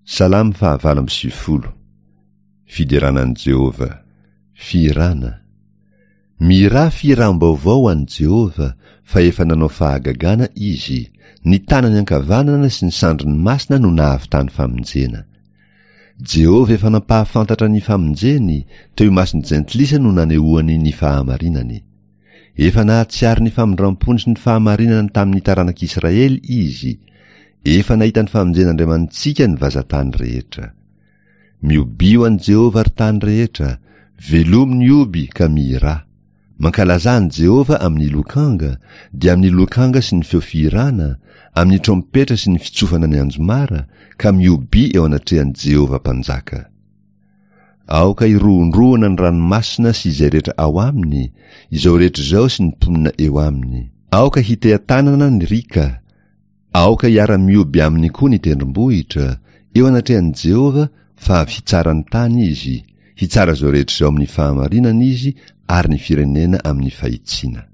Salamo fahavalo amby sivifolo. Fiderana an'i Jehovah. Fihirana. Mihirà fihiram-baovao ho an'i Jehovah, fa efa nanao fahagagana Izy, ny tanany ankavanana sy ny sandriny masina no nahavitany famonjena. Jehovah efa nampahafantatra ny famonjeny, teo imason'ny jentilisa no nanehoany ny fahamarinany. Efa nahatsiaro ny famindram-pony sy ny fahamarinany tamin'ny taranak'Israely Izy, efa nahita ny famonjen'Andriamanitsika ny vazan-tany rehetra. Miobio an'i Jehovah ry tany rehetra, velomy ny oby ka mihirà. Mankalazà an'i Jehovah amin'ny lokanga, dia amin'ny lokanga sy ny feo fihirana, amin'ny trompetra sy ny fitsofana ny anjomara, ka miobia eo anatrehan'i Jehovah Mpanjaka. Aoka hirohondrohona ny ranomasina sy izay rehetra ao aminy, izao rehetra izao sy ny mponina eo aminy. Aoka hiteha-tanana ny riaka, aoka hiara-mihoby aminy koa ny tendrombohitra, eo anatrehan'i Jehovah, fa avy hitsara ny tany Izy, hitsara izao rehetra izao amin'ny fahamarinana Izy ary ny firenena amin'ny fahitsiana.